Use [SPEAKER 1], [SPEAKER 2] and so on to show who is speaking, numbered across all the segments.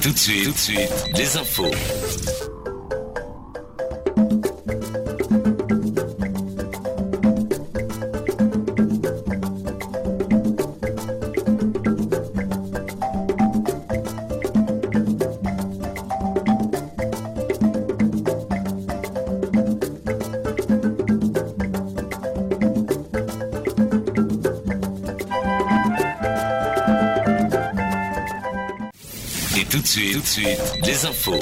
[SPEAKER 1] tout de suite, les infos. Et tout de suite, les infos.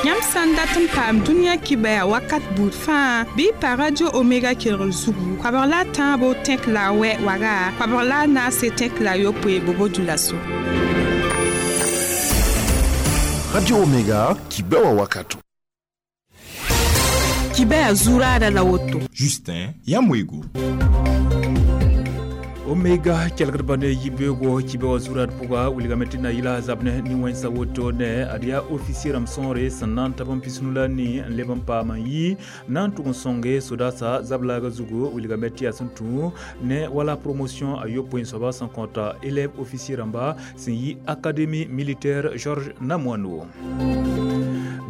[SPEAKER 2] Yãmb sã n dat n paam dũniyã kibaya wakat buud fãa bɩ y pa Radio Omega kelgr zugu koabg la a tãabo tẽk la a wɛ waga koabg la a naase tẽk la a yopoe bobo dulaso.
[SPEAKER 3] Radio Omega kibewa wakato.
[SPEAKER 2] Kibaya zuraada la woto.
[SPEAKER 4] Justin Yamwego.
[SPEAKER 5] Omega kelgdba ne yibeogo kibe wa zurad pʋga wilgame tɩ na yɩla zab ne nin-wẽnsa woto ne ad yaa officier rãmb sõore sẽn na n tab n pisnu la ni n leb n paam n yi na n tʋg n sõnge sodaasa zab-laaga zugu wilgame tɩ yaa sẽn tũ ne wala promotion a yopoe n soaba sẽn kõta élève officier rãmba sẽn yi académie militaire Georges Namoano.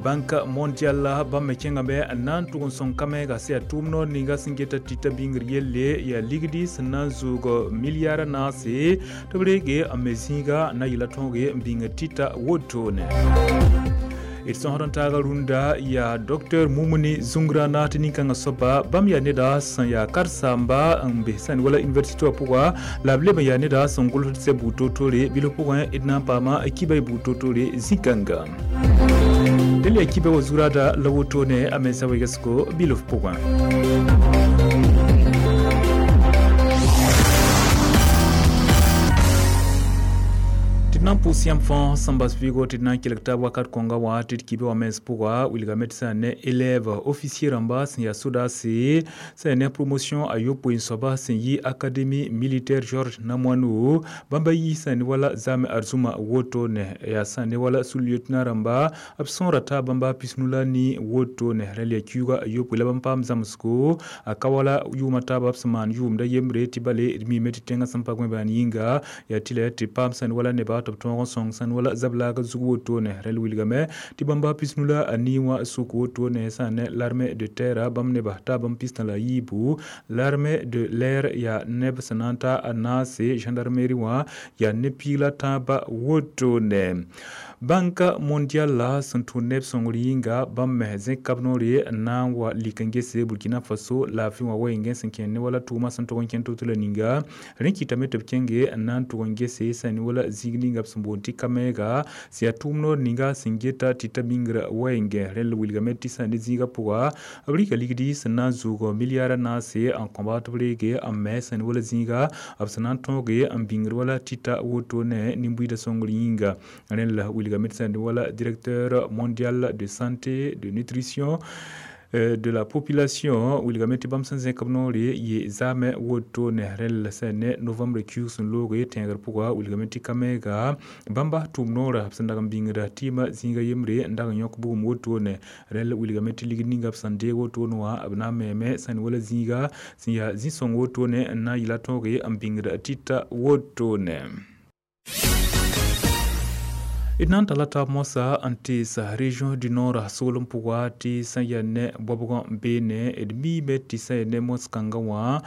[SPEAKER 5] Banque mondiale bãmb me kẽngame n na n tʋg n sõng kamɛɛga sẽn yaa tʋʋm noor ninga sẽn geta tɩta bĩngr yelle yaa ligdi sẽn na n zoog milliard naase tɩ b reege n me zĩiga na yɩla tõoge n bĩng tɩta wotone. D sõsd n taaga rũndã yaa docteur Mumuni Zungrana tɩ nin-kãngã soaba bãmb yaa neda sẽn yaa karen-saamba n be sãn wala université wã pʋga la b leb n yaa neda sẽn gʋlsd sɛ buud toor-toore bilf pʋgẽ d na n paama kiba y buud toor-toore zĩ-kãnga. Dẽl yaa kiba wa zuraada la wotone a mensa wegsgo bilf pʋgẽ. Tɩ d na n pʋʋs yãmb fãa sẽn bas vɩɩgo tɩ d na n kelg taab wakat kõnga wã tɩ d kibe wã mens pʋga wilgame tɩ sã ne élève officier rãmba sẽn yaa sodaase sã yaa ne promotion a yopoe n soaba sẽn yi académie militaire Georges Namoano bãmba yi sã ne wala zame arzũma woto ne yaa sã ne wala sous-lieutenant rãmba b sõora taa bãmba pisnu la ni woto ne rẽl yaa kiuuga a yopoe la bãmb paam zãmsgo a ka wala yʋʋmã taaba b sẽn maan yʋʋmda yembre tɩ bale d miime tɩ tẽngã sẽn pa gõe baan yĩnga yaa tɩ la tɩ paam sã ne wala neba tɩ b tõog n sõng sãn wala zab-laaga zug wotone rẽl wilgame tɩ bãmba pisnu la a nii wã sʋk wotone sã ne l'armée de terre bãmb neba taa bãmb pistã la a yiibu l'armée de l'air yaa neb sẽn na n ta a naase gendarmerie wã yaa ne piig la tãaba wotone. Banque mondiale la sẽn tũ neb sõngr yĩnga bãmb me zẽk kab noore n na n wa lik n gese Burkina Faso laafɩ wã wɛɛngẽ sẽn kẽer ne wala tʋʋmã sẽn tʋg n kẽn to-to la ninga rẽ kɩtame tɩ b kẽnge n na n tʋg n gese sã ne wala zĩig ninga b sẽn boond tɩ kamɛɛga sẽn yaa tʋʋm noor ninga sẽn geta tɩ ta bĩngrã wɛɛngẽ rẽnd wilgame tɩ sã ne zĩigã pʋga b rɩka ligdi sẽn na n zoog milliard naase n kõba tɩ b reege n me sã ne wala zĩiga b sẽn na n tõoge n bĩngr wala tɩta wotone nin-buiidã sõngr yĩnga rẽnd la wilgame tɩ sã ne wala directeur mondial de santé de nutrition de la population wilgame tɩ bãmb sẽn zẽk b noore yɩ zaamẽ wotone rẽnd sã ne novembre kiuug sẽn looge tẽegr pʋga wilgame tɩ kamɛɛga bãmba tʋʋm noora b sẽn dag n bĩngda tɩɩmã zĩiga yembre n dag n yõk bugum wotone rẽnd wilgame tɩ ligd ninga b sẽn deeg wotone wã b na n meeme sã ne wala zĩiga sẽn yaa zĩ-sõng wotone n na n yɩla tõoge n bĩngda tɩta wotone. D na n tala taab moasã n tees région du nord soolem pʋga tɩ sã n yaa ne bɔbgã n beene d miime tɩ sã n yaa ne mos-kãngã wã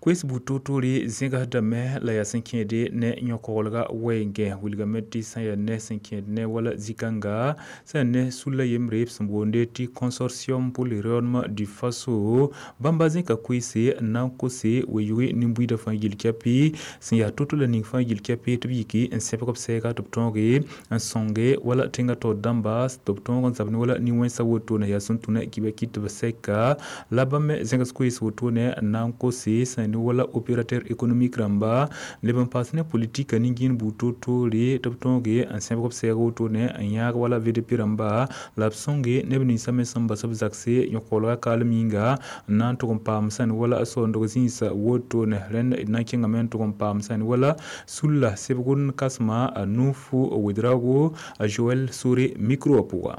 [SPEAKER 5] koes buud toor-toore zẽgsdame la yaa sẽn kẽede ne yõ-koglga wɛɛngẽ wilgame tɩ sã n yaa ne sẽn kẽed ne wala zĩ-kãnga sã n ne sulla yembre b sẽn boonde tɩ consortium pour le rayonnement du Faso bãmba zẽka koeese n na n kose we-yʋge nin-buiidã fãa yil kɛpɩ sẽn yaa to-to la ning fãa yil kɛpɩ tɩ b yiki n sẽbg b sɛɛga tɩ b tõoge n sõnge wala tẽngã taoor dãmba tɩ b tõog n zab ne wala nin-wẽnsã wotone yaa sẽn tũ ne kibã kɩt tɩ b sɛka la bãmb me zẽgs koees wotone n na n kose sã n ne wala opérateur économique rãmba leb n paas ne politique nin-gĩin buud toor-toore tɩ b tõoge n sẽbg b sɛɛg wotone n yãag wala VDP rãmba la b sõnge neb ninsã me sẽn bas b zakse yõ-koglga kaalem yĩnga n na n tʋg n paam sã ne wala soondg zĩisa wotone rẽnd d na n kẽngame n tʋg n paam sã ne wala sulla sebg n kãsema a Nufu Ouedraogo a Joël Sore micro wã pʋga.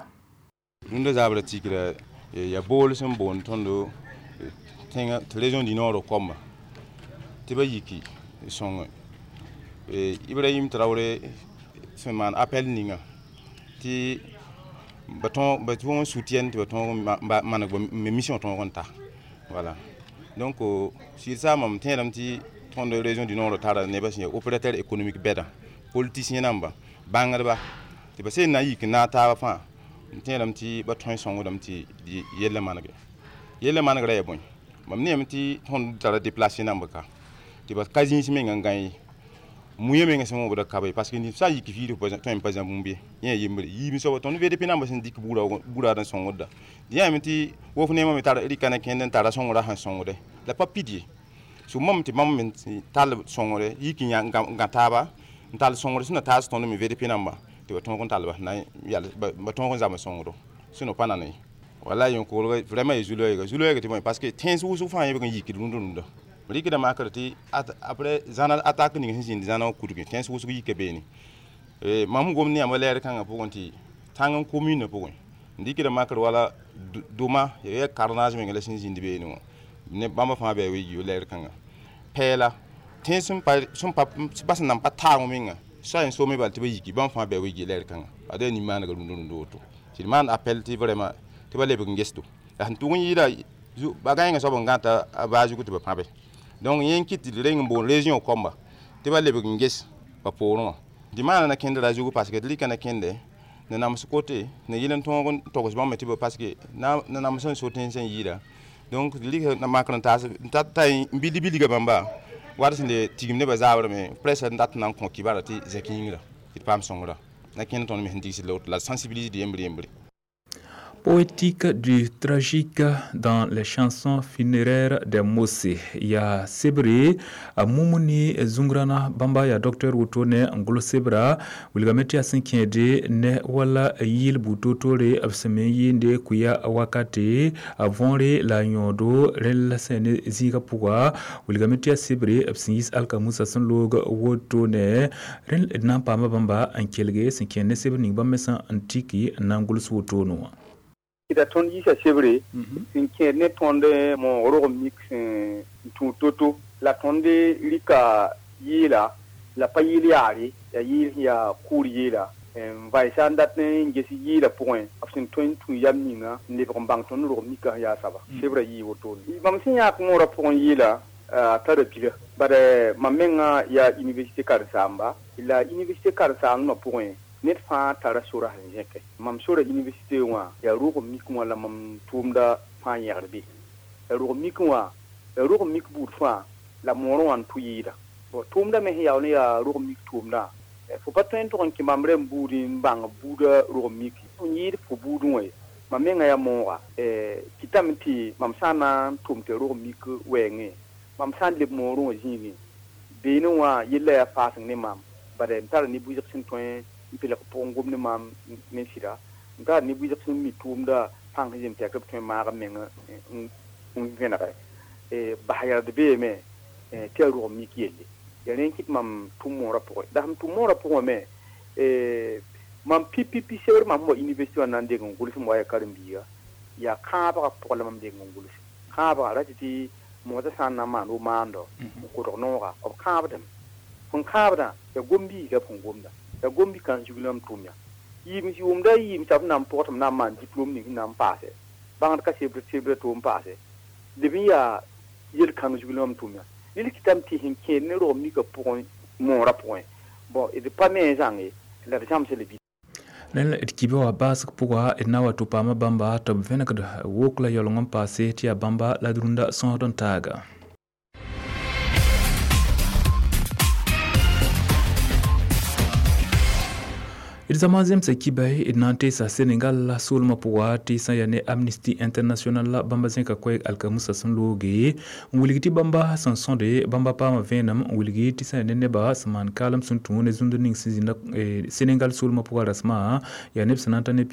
[SPEAKER 6] Rũndã zabrã tikra yaa bool sẽn boond tõndo tẽngã tɩ région du nord koamba tɩ ba yiki sõng Ibrahim Traoré sẽn maan appel ninga tɩ ba tõog n soutien tɩ ba tõog maneg mission tõog n ta. Voilà. Donc sɩd mam tẽedame tɩ tõnd région du nord tara nebã sẽn yaa opérateur économique bɛdã, politicien namba, bãngdba tɩ ba sẽn na n yik n naag taabã fãa n tẽedame tɩ ba tõe n sõngdame tɩ yellã manege. Yellã manegrã yaa bõe? Mam neeme tɩ tõnd tara déplacé namba ka tɩ ba ka zĩis mengã n gã ye muya menga sẽn wõbda ka be parce que ned sã n yik fiid tõe n pa zã bũmb ye yẽ yembre yiib soaba tõnd VDP namba sẽn dɩk buraad n sõngda dẽ yaame tɩ wof neemã me tar rɩka na kẽnd n tara sõngrã sẽn sõngde la pa pid ye so mam tɩ bãmb me tall sõngre yik n gã taaba n tall sõngre sẽn na taas tõnd me VDP namba tɩ ba tõog n tall ba tõog n zame sõngdo sẽn pa nane wala yẽn-koglg vraiment ya zu-loɛɛga tɩ bõe parce que tẽns wʋsg fãa yẽbg n yikd rũndã rɩkda makr tɩ après zãna attaque ning sẽn zĩnd zãna wã kudgi tẽns wʋsg yika beene mam gom ne yãmba lɛɛr kãngã pʋgẽ tɩ tãng n commune pʋgẽ n dɩkda makr wala doma ya carnage menga la sẽn zĩnd beene wã ne bãmba fãa bɩ a lɛɛr kãngã pɛɛla tẽns sẽn pa sẽn nan pa taag menga sa n soome bal tɩ ba yiki bãmb fãa bɩ a wigi lɛɛr kãngã ad yaa nin-maanega rũndã rũndã woto tɩ d maan appel tɩ vraiment tɩ ba lebg n gesdo la sẽn tʋg n yɩɩda ba gãengã soab n gãta a baa zugu tɩ ba pãbe donc yẽ n kɩt tɩ d reng n boon région kɔmba tɩ ba lebg n ges ba poorẽ wã tɩ maana na kẽndra zugu parce que d rɩka na kẽnde na nams kote na yɩl n tõog n togs bãmb tɩ ba parce que na nams n so tẽns n yɩɩda donc d rɩka na makr n taas n ta n bildi bilga bãmba wat sẽn le tigim nebã zaabrame presse n dat n na n kõ kibara tɩ zẽk yĩngra tɩ d paam sõngra na kẽnd tõnd me sẽn digsd la woto la sensibilisd yembre yembre.
[SPEAKER 5] Poétique du tragique dans les chansons funéraires des Mossi. Ya sebre a Mumuni Zungrana Bamba ya docteur Wotone Ngolo Sebra wilgameti ya sinkende ne wala yil butotore abseme yinde kuya wakati avonre la nyodo rel sene ziga puga wilgameti ya sebre absingis alka musa sunlog Wotone rel na pama bamba ankelge sinkende sebre ning bamesa antiki nangul suotono.
[SPEAKER 4] Da tõnd yiisa sebre sẽn kẽed ne tõnd moog rog mik sẽn tũ to-to la tõnd rɩka yɩɩla la pa yɩɩl yaare yaa yɩɩl sẽn yaa kʋʋr yɩɩla n vaɩsa n dat n ges yɩɩla pʋgẽ b sẽn tõe n tũ yam ninga n lebg n bãng tõnd rog mikã sẽn yaa saba sebrã yɩɩ wotone mam sẽn yãak moorã pʋgẽ yɩɩla a tara bila bad mam mengã yaa université karen-saamba la université karen-saambã pʋgẽ ned fãa tara sora sẽn zẽke mam sora université wã yaa rog mik wã la mam tʋʋmda fãa yẽgd be yaa rog mik wã yaa rog mik buud fãa la moorẽ wã n tʋ yɩɩda tʋʋmda me sẽn yaool n yaa rog mik tʋʋmdã fo pa tõe n tʋg n kẽ bãmb rẽmb buud n bãng buudã rog mik n yɩɩd fo buudẽ wã ye mam mengã yaa mooga kɩtame tɩ mam sã n na n tʋm tɩ rog mik wɛɛngẽ mam sã n leb moorẽ wã zĩigẽ beene wã yella yaa faaseng ne maam bad m tara ne bʋɩsg sẽn tõe n pelg pʋgẽ gom ne maam ne sɩda n tara ne bʋɩsg sẽn mi tʋʋmda pãng sẽn zem tɩ b tõe n maag n meng n vẽnege bas yard beeme tɩ yaa rog mik yelle yaa rẽ n kɩt mam tʋm moorã pʋgẽ la sẽn tʋm moorã pʋgẽ me mam pipipi sebr mam sẽn wa université wã na n deng n gʋls n wa yaa karen-biiga yaa kãabgã pʋgẽ la mam deng n gʋls kãabgã ra tɩ tɩ moodã sã n na n maan wo maando n kodg nooga b kãabdame sẽn kãabdã yaa gom-biiga b sẽn gomda la gombi kan zugl mam tʋm ya yiim yʋʋmda yiim t'a b na n pʋg tɩ m na n maan diplôme ning sẽn na n paase bãngd ka sebr sebrã tʋʋm paase leb n yaa yel-kãng zugl mam tʋm ya ned kɩtame tɩ sẽn kẽed ne rog mikã pʋgẽ moorã pʋgẽ bõn d pa me n zãng ye la d zãmsa le
[SPEAKER 5] Nel d kibe wã baasg pʋga d na wa tɩ paama bãmba tɩ b vẽnegd wok la yaooleng n paase tɩ yaa bãmba la d rũndã sõsd n taaga. D zama zemsa kibay d na n teesa Senegal la soolmã pʋga tɩ sã yaa ne Amnesty International la bãmba zẽka koɛɛg alkamusa sẽn looge n wilg tɩ bãmba sẽn sõde bãmba paama vẽenem n wilgi tɩ sã yaa ne nebã sẽn maan kaalem sẽn tũ ne zũnd ning sẽn zĩnda Senegal soolmã pʋga rasmã yaa neb sẽn na n ta ne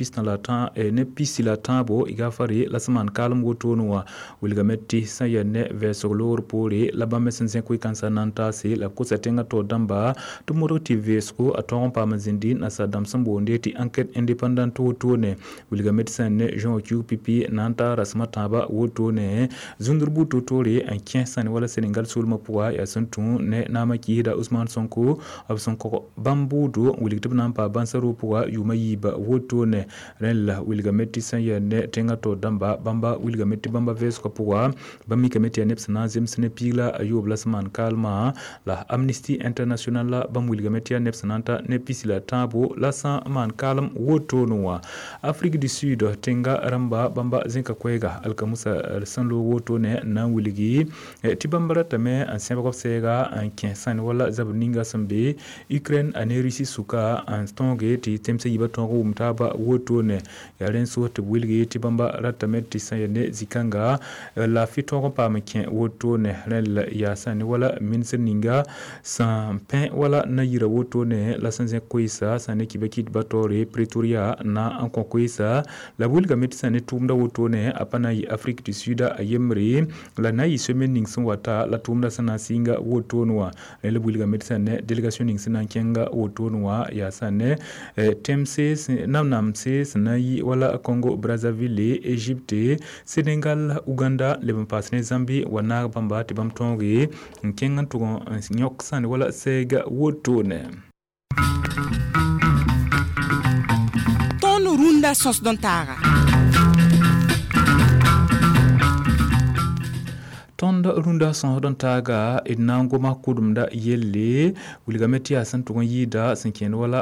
[SPEAKER 5] pisi la tãabo y gafare la sẽn maan kaalem wotone wã wilgame tɩ sã yaa ne vɛɛsg loogr poore la bãmb me sẽn zẽk wɩ-kãnsã na n taase la b kosa tẽngã taoor dãmba tɩ modg tɩ vɛɛsgo a tõog n paam n zĩndi nasaar dãmb sẽn boonde tɩ enquête indépendante wotone wilgame tɩ sã ne juin kiug pipi na n ta rasem a tãabã wotone zũndr buud toor-toore n kẽ sãne wala Senegal soolmã pʋga yaa sẽn tũ ne naamã kiisda Ousmane Sonko b sẽn kog bãmb buudo n wilg tɩ b na n paa bãnsa roog pʋga yʋʋmã yiiba wotone rẽn la wilgame tɩ sẽn yaa ne tẽngã taoor dãmba bãmba wilgame tɩ bãmba vɛɛsgã pʋga bãmb mikame tɩ yaa neb sẽn na n zems ne piig la a yoob la sẽn maan kaalmã la Amnesty International la bãmb wilgame tɩ yaa neb sẽn na n ta ne pisi la tãabo la sã n maan kaalem wotone wã. Afrique du Sud tẽnga rãmba bãmba zẽka koɛɛga alkamusa sẽn loog wotone na n wilgi tɩ bãmb ratame n sẽbg b sɛɛga n kẽ sãne wala zabr ninga sẽn be Ukraine a ne Russie sʋka n tõoge tɩ tẽmsã yiibã tõog n wʋm taaba wotone yaa rẽnd sos tɩ b wilgi tɩ bãmba ratame tɩ sã yaa ne zĩ-kãnga laafɩ tõog n paam n kẽ wotone rẽnd la yaa sãne wala ministr ninga sẽn pẽ wala na-yirã wotone la sẽn zẽk koeesa sã ne kiba kɩtba taoore Pretoria na n kõ koeesa la b wilgame tɩ sã ne tʋʋmda wotone a pa na n yɩ Afrique du Sud a yembre la na n yɩ semaine ning sẽn wata la tʋʋmda sẽn na n sɩnga wotone wã rẽ la b wilgame tɩ sã ne délégation ning sẽn na n kẽnga wotone wã yaa sã ne tẽmse nam-namse sẽn na n yi wala Congo Brazzaville, Égypte, Sénégal, Uganda leb n paas ne Zambie wa naag bãmba tɩ bãmb tõoge n kẽng n tʋg n yõk sãne wala sɛɛga wotone.
[SPEAKER 2] Tõnd rũndã sõsd n taaga.
[SPEAKER 5] Tõnd rũndã sõsd n taaga d na n goma kʋdemda yelle wilgame tɩ yaa sẽn tʋg n yɩɩda sẽn kẽend wala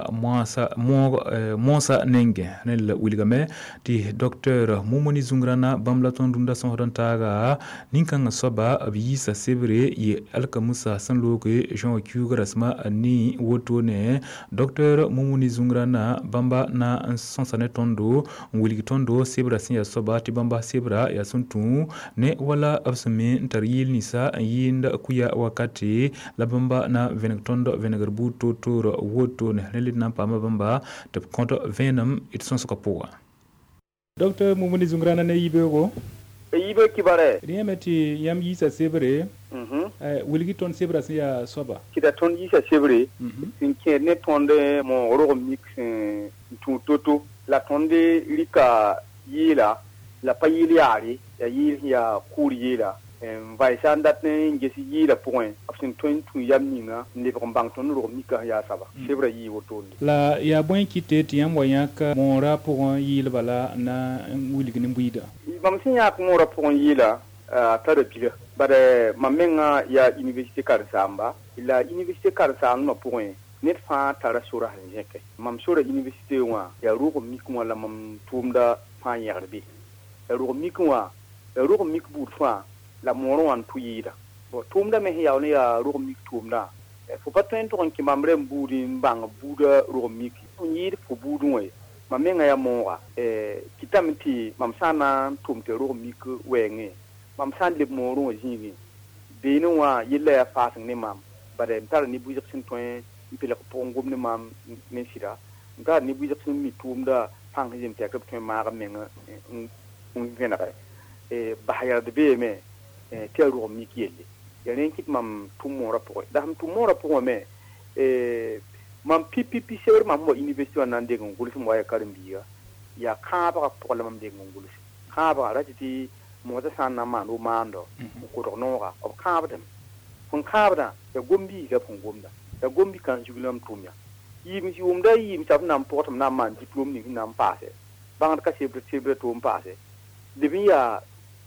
[SPEAKER 5] moosã nengẽ rẽnd la wilgame tɩ docteur Mumuni Zungrana bãmb la tõnd rũndã sõsd n taaga nin-kãngã soaba b yiisa sebre yɩ alkamusa sẽn looge juin kiuug rasmã nii wotone docteur Mumuni Zungrana bãmba na n sõsa ne tõndo n wilg tõndo sebra sẽn yaa soaba tɩ bãmba sebra yaa sẽn tũ ne wala b sẽn me n tar yɩɩl ninsã n yɩɩnd kuya wakate la bãmba na n vẽneg tõnd vẽnegr buud toor-toor wotone rẽ le d na n paama bãmba tɩ b kõt vẽenem d sõsgã pʋga. Docteur Mumuni Zungrana ne yibeoogo
[SPEAKER 4] yibe kibare
[SPEAKER 5] rẽ yãme tɩ yãmb yiisa sebre wilgi tõnd sebra sẽn yaa soaba
[SPEAKER 4] tɩ tõnd yiisa sebre sẽn kẽed ne tõnd moog rog mik sẽn tũ to-to la tõnd rɩka yɩɩla la pa yɩɩl yaare yaa yɩɩl sẽn yaa kʋʋr yɩɩla n vaɩsa n dat n ges yɩɩla pʋgẽ b sẽn tõe n tũ yam ninga n lebg n bãng tõnd rog mika sẽn yaa saba sebra yɩɩ wotone.
[SPEAKER 5] La yaa bõe kɩte tɩ yãmb wa yãk moorã pʋgẽ yɩɩlba la na n wilg ne buiida?
[SPEAKER 4] Mam sẽn yãk moorã pʋgẽ yɩɩla a tara bila bad mam mengã yaa université karen-saamba la université karen-saambã pʋgẽ ned fãa tara sora sẽn zẽke mam sora université wã yaa rog mik wã la mam tʋʋmda fãa yẽgd be yaa rog mik wã yaa rog mik buud fãa la moorã wã n tʋ yɩɩda bon tʋʋmda me sẽn yaool n yaa rog mik tʋʋmdã fo pa tõe n tʋg n kẽ mam rẽmb buud n bãng buudã rog mik n yɩɩd fo buudẽ wã ye mam mengã yaa mooga kɩtame tɩ mam sã n na n tʋm tɩ rog mik wɛɛngẽ mam sã n leb moorẽ wã zĩigẽ beene wã yella yaa faaseng ne maam bad m tara ne buɩsg sẽn tõe n pelg pʋgẽ gom ne maam ne sɩda m tara ne buɩsg sẽn mi tʋʋmda pãng sẽn zeem tɩ yaa tɩ b tõe n maag m meng n vẽnege bas yard beeme tɩ yaa rog mik yelle yaa rẽ n kɩt mam tʋm moorã pʋgẽ la sẽn tʋm moorã pʋgẽ me mam pipipi sebr mam sẽn wa université wã na n deng n gʋls m wa yaa karen-biiga yaa kãabgã pʋgẽ la mam deng n gʋls kãabgã ra tɩ tɩ moosã sã n na n maan wo-maando n kodg nooga b kãabdame sẽn kãabdã yaa gom-biiga b sẽn gomda yaa gom-bi-kãng zug la m tʋm ya yiim yʋʋmda yiim t'a b na n pʋg tɩ m na n maan diplôme ning sẽn na n paase bãngd ka sebr sebra to n paase leb n yaa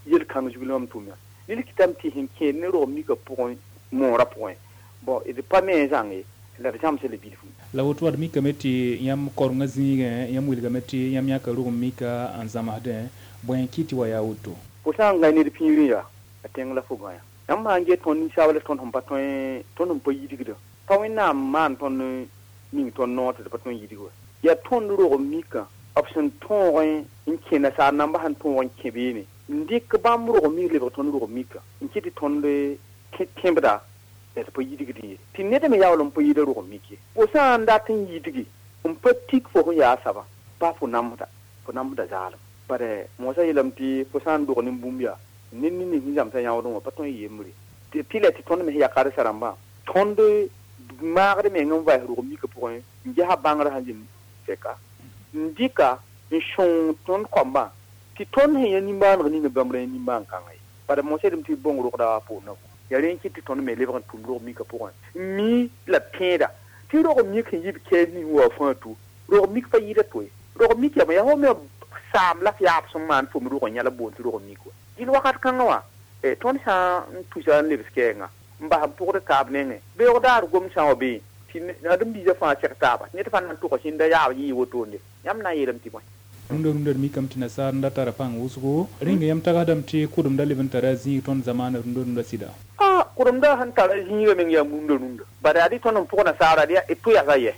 [SPEAKER 4] yel-kãng zug la mam tʋm ya ned kɩtame tɩ sẽn kẽed ne rog mika pʋgẽ moorã pʋgẽ bon d pa me n zãng ye la d zãmsa la bilfu.
[SPEAKER 5] La woto wad mikame tɩ yãmb korengã zĩigẽ yãmb wilgame tɩ yãmb yãka rog mika n zãmsdẽ bõe n kɩ tɩ wa yaa woto?
[SPEAKER 4] Fo sã n gãe ned pĩirẽ yaa a tẽng la fo gãya yãmb sã n get tõnd ninsaab la tõnd sẽn pa tõe tõnd sẽn pa yidgda pa Wẽnnaam maan tõnd ning tõnd noor tɩ d pa tõe n yidg wa yaa tõnd rog mikã b sẽn tõog n kẽ nasaar nambã sẽn tõog n kẽ beene n dɩk bãmb rog mik lebg tõnd rog mika n kɩ tɩ tõnd kẽbda la d pa yidgd ye tɩ ned me yaool n pa yɩɩda rog mik ye fo sã n dat n yidgi n pa tik fo sẽn yaa saba pa fo namsda zaalem bad moosã yeelame tɩ fo sã n dog ne bũmb yaa ned ning sẽn zãmsã yãoodẽ wã pa tõe n yembre tɩ la tɩ tõnd me sẽn yaa karsa rãmbã tõnd maagd meng n vaɩs rog mika pʋgẽ n gesa bãngrã sẽn zĩnd sɛka n dɩka n sõng tõnd kɔmbã tɩ tõnd sẽn yã nimbãaneg ninga bãmb ra yã nimbãan kãnga ye bala mosɛdem tɩ bõng rogda wã poorã yaa rẽ n kɩt tɩ tõnd me lebg n tʋm rog mika pʋgẽ n mi la tẽeda tɩ rog mik sẽn yib kɛɛs ning wa fãa tu rog mik pa yɩɩda to ye rog mik yame yaa fo me saam la f yaab sẽn maan fo me rog n yãla boond tɩ rog mik wa dɩl wakat kãngã wã tõnd sã n tusa n lebs kɛɛngã n bas n pʋgd taab nengẽ beoog daar gom sã wa bee tɩ ãdem-biisã fãa seg taaba ned fãa na n tʋga sẽnda yaab yɩɩ wotone yãmb na n yeelame tɩ bõe
[SPEAKER 5] rũndã rũndã d mikame tɩ nasaar n da tara pãng wʋsgo rẽnga yãmb tagsdame tɩ kʋdemda leb n tara zĩig tõnd zamaana rũndã rũndã sɩda
[SPEAKER 4] kʋdemda sẽn tara zĩigã meng yaa rũndã rũndã bala yaa dɩ tõnd n pʋg nasaara d tʋ yasa yɛ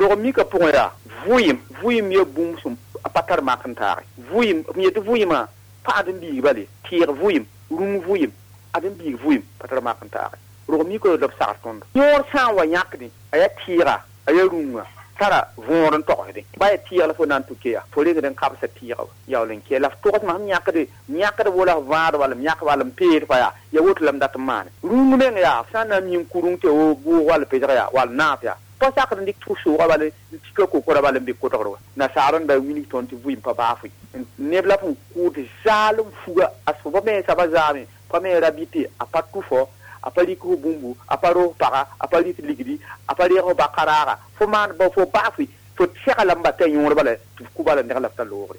[SPEAKER 4] rog mika pʋgẽ yaa vʋɩɩm vʋɩɩm ya bũmb sẽn pa tar mak n taage vʋɩɩm m yetɩ vʋɩɩmã pa ãdem-biig bale tɩɩg vʋɩɩm rũng vʋɩɩm ãdem-biig vʋɩɩm pa tar mak n taage rog mika la b sagr tõndo yõor sã n wa yãkdẽ a yaa tɩɩga a yaa rũngã tara võor n togsdẽ ba yaa tɩɩg la fo na n tʋ keya fo rengd n kabsa tɩɩga yaool n kɛ la f togsmã sẽn yãkde yãkd wola f vãad wall m yãk wall n peed fa yaa ya woto la m dat n maane rũng meng yaa f sã n na n mi n ku rũng tɩ wo bʋʋg wall pesg yaa wall naaf yaa pa sakd n dɩk tʋ soogã bal n tika kokora bal n be kotgr wa nasaar n da wilg tõnd tɩ vʋɩɩm pa baa fʋɩ neb la f n kʋʋd zaalem fuga a soba me saba zaame pa me ra bɩ tɩ a pa tʋfɔ a pa rɩk fo bũmbu a pa roog paga a pa rɩt ligdi a pa reeg fo bakaraaga fo maan ba fo baafɩ fo segla n ba t'a yõor bala tɩ f kʋ bala neg la f ta loogre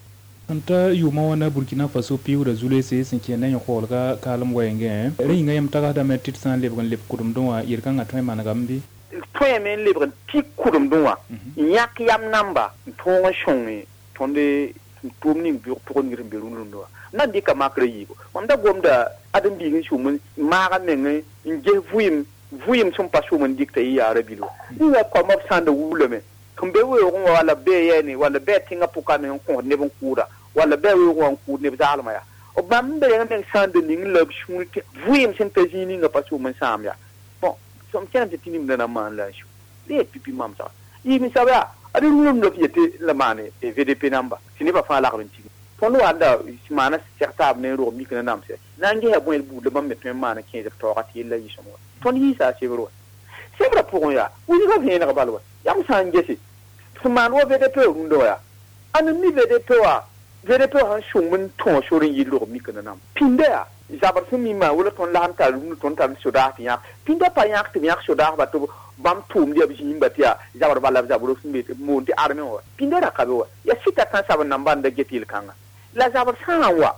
[SPEAKER 5] n ta yʋʋmã wãna Burkina Faso piuuda zulese sẽn kẽ na yõ-koolga kaalem wɛɛngẽ rẽ yĩnga yãmb tagsdame tɩ d sã n lebg n leb kʋdemdẽ wã yel-kãngã tõe n manegame bɩ
[SPEAKER 4] tõeme n lebg n tik kʋdemdẽ wã n yãk yam namba n tõog n sõnge tõnd tʋʋm ning pʋgẽ ningr sẽn be rũnd-rũndã wã n na n dɩka makrã yiibu mam da gomda ãdem-biig n sʋm n maaga meng n ges vʋɩɩm vʋɩɩm sẽn pa sʋm n dɩkta yɩ yaara bilwa ninga koambã b sã n da wulame sẽn be weoogẽ wã walla bee yɛɛne walla bɩ a tẽngã pʋka meng n kõs neb n kʋʋda walla bɩ a weoogẽ wã n kʋʋd neb zaalmã yaa b bãmb n be meng sã n da ning la b sũur tɩ vʋɩɩm sẽn ta zĩig ninga pa sʋm n sãam yaa bõn m kẽnem tɩ tɩ nimdã na n maan la n sũ le pipi mam saga yɩɩm sab yaa ad rũndã f yetɩ la maane VDP namba tɩ nebã fãa lagd n tig tõnd wa da maana seg taab ne rog mik na namsɛ na n gesa bõe buud la bãmb me tõe n maana kẽes b taooga tɩ yella yɩ sõm wa tõnd yiisa a sebr wa sebrã pʋgẽ yaa wilgã vẽeneg bal wa yam sã n gese sẽn maan wa VDP rũndã wa yaa ãn n mi VDP wa VDP sãn sõng n tõog sor n yɩ rog mik na nam pĩnda yaa zabr sẽn mi maan wala tõnd lasem tar rũndã tõnd tar sodaas tɩ yãk pĩnda pa yãk tɩ b yãk sodaasba tɩ bãmb tʋʋmd yaa b zĩimba tɩ yaa zabr bala b zabr sẽn be moon tɩ armẽ wa pĩnda ra ka be wa yaa sɩta tãn-sabd namba n da get yel-kãnga la zabr sã n wa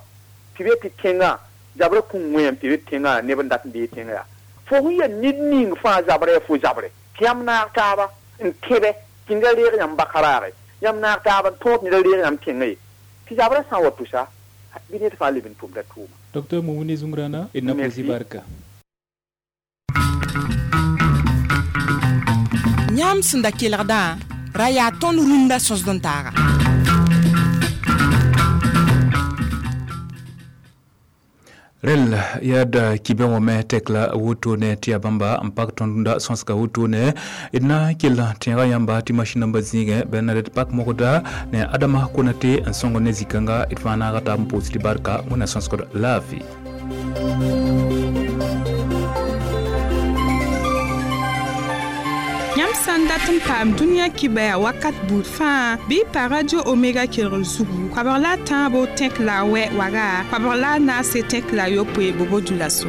[SPEAKER 4] tɩ be tɩ tẽngã zabrã kũm wẽem tɩ be tẽngã neb n dat n dee tẽngã yaa fo sẽn yaa ned ning fãa zabrã yaa fo zabre tɩ yãmb naag taaba n tẽbɛ tɩ neda reeg yãmb bakaraage yãmb naag taaba n tõog tɩ neda reeg yãmb tẽngã ye tɩ zabrã sã n wa tʋsa bɩ ned fãa leb n tʋmda tʋʋma
[SPEAKER 5] Docteur Moumouni Zoungrana d na pʋʋs barka
[SPEAKER 2] yãmb sẽn da kelgdã ra yaa tõnd rũndã sõsd n taaga
[SPEAKER 5] rel yaa kibẽ wã me tɛk la wotone tɩ yaa bãmba n pak tõnd rũndã sõsga wotone d na n kell tẽega yãmba tɩ masĩn nambã zĩigẽ bernadette pak mogda ne adama konate n sõng ne zĩ-kãnga d fãa naaga taab n pʋʋs tɩ barka wẽnna sõsgd laafɩ
[SPEAKER 2] yãmb sã n dat n paam dũniyã kibaya wakat buud fãa bɩ pa radio omega kelgr zugu koabg la a tãabo tẽk la a wɛ waga koabg la a naase tẽk la a yopoe bobo dulaso.